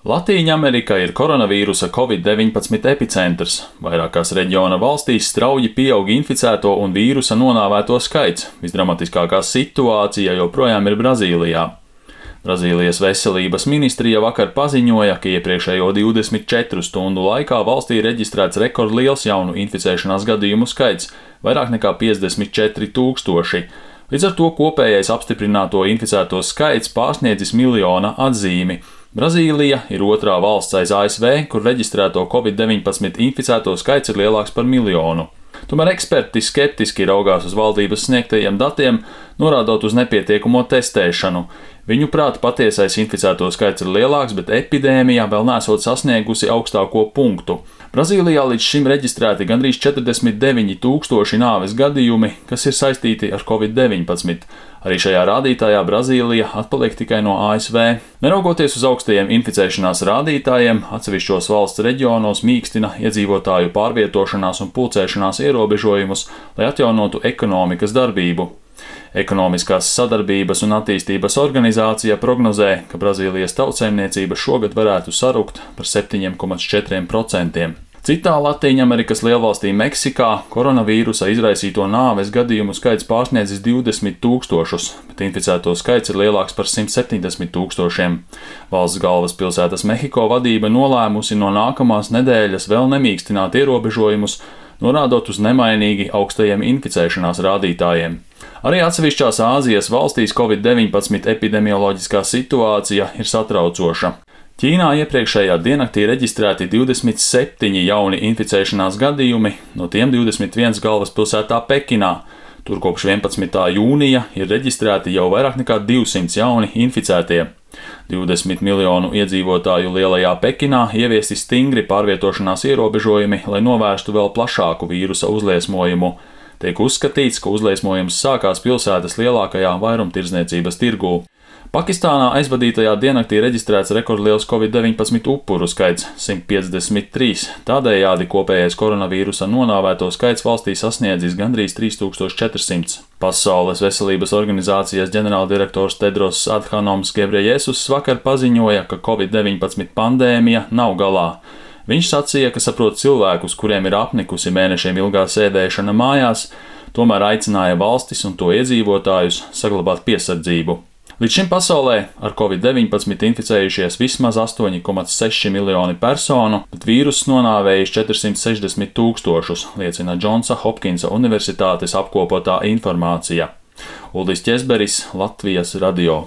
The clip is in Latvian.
Latīņamerika ir koronavīrusa Covid-19 epicentrs. Vairākās reģiona valstīs strauji pieaug inficēto un vīrusa nonāvēto skaits. Visdramatiskākā situācija joprojām ir Brazīlijā. Brazīlijas veselības ministrija vakar paziņoja, ka iepriekšējo 24 stundu laikā valstī reģistrēts rekordliels jaunu inficēšanās gadījumu skaits – vairāk nekā 54 000. Līdz ar to kopējais apstiprināto inficēto skaits pārsniedzis miljona atzīmi. Brazīlija ir otrā valsts aiz ASV, kur reģistrēto Covid-19 inficēto skaits ir lielāks par miljonu. Tomēr eksperti skeptiski raugās uz valdības sniegtajiem datiem, norādot uz nepietiekamo testēšanu. Viņuprāt, patiesais inficēto skaits ir lielāks, bet epidēmija vēl nesot sasniegusi augstāko punktu. Brazīlijā līdz šim reģistrēti gandrīz 49 000 nāves gadījumi, kas ir saistīti ar Covid-19. Arī šajā rādītājā Brazīlija atpaliek tikai no ASV. Neraugoties uz augstajiem inficēšanās rādītājiem, atsevišķos valsts reģionos mīkstina iedzīvotāju pārvietošanās un pulcēšanās ierobežojumus, lai atjaunotu ekonomikas darbību. Ekonomiskās sadarbības un attīstības organizācija prognozē, ka Brazīlijas tautsaimniecība šogad varētu sarukt par 7,4%. Citā Latīņamerikas lielvalstī Meksikā koronavīrusa izraisīto nāves gadījumu skaits pārsniedzis 20 000, bet inficēto skaits ir lielāks par 170 000. Valsts galvaspilsētas Mehiko vadība nolēmusi no nākamās nedēļas vēl nemīkstināt ierobežojumus, norādot uz nemainīgi augstajiem inficēšanās rādītājiem. Arī atsevišķās Āzijas valstīs Covid-19 epidemioloģiskā situācija ir satraucoša. Ķīnā iepriekšējā diennaktī reģistrēti 27 jauni inficēšanās gadījumi, no tiem 21 galvaspilsētā Pekinā. Tur kopš 11. jūnija ir reģistrēti jau vairāk nekā 200 jauni inficētie. 20 miljonu iedzīvotāju lielajā Pekinā ieviesti stingri pārvietošanās ierobežojumi, lai novērstu vēl plašāku vīrusa uzliesmojumu. Tiek uzskatīts, ka uzliesmojums sākās pilsētas lielākajā vairumtirdzniecības tirgū. Pakistānā aizvadītajā diennaktī reģistrēts rekordliels Covid-19 upuru skaits – 153. Tādējādi kopējais koronavīrusa nonāvēto skaits valstī sasniedzis gandrīz 3400. Pasaules veselības organizācijas ģenerāldirektors Tedros Adhanoms Ghebreyesus vakar paziņoja, ka Covid-19 pandēmija nav galā. Viņš sacīja, ka saprot cilvēkus, kuriem ir apnikusi mēnešiem ilgā sēdēšana mājās, tomēr aicināja valstis un to iedzīvotājus saglabāt piesardzību. Līdz šim pasaulē ar Covid-19 inficējušies vismaz 8,6 miljoni personu, bet vīruss nonāvējis 460 000, liecina Džonsa Hopkinsa Universitātes apkopotā informācija. Uldis Ķezberis, Latvijas radio.